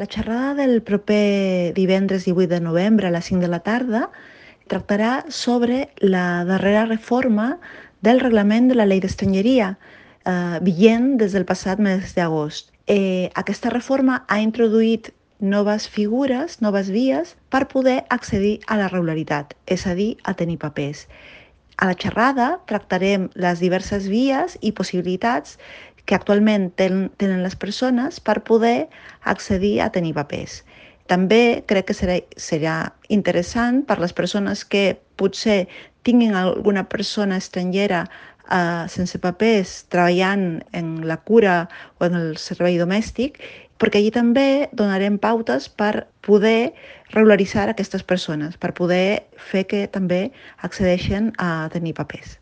La xerrada del proper divendres 18 de novembre a les 5 de la tarda tractarà sobre la darrera reforma del reglament de la llei d'estrangeria, vigent des del passat mes d'agost. Aquesta reforma ha introduït noves figures, noves vies per poder accedir a la regularitat, és a dir, a tenir papers. A la xerrada tractarem les diverses vies i possibilitats que actualment tenen les persones per poder accedir a tenir papers. També crec que serà interessant per les persones que potser tinguin alguna persona estrangera sense papers treballant en la cura o en el servei domèstic, perquè allí també donarem pautes per poder regularitzar aquestes persones, per poder fer que també accedeixen a tenir papers.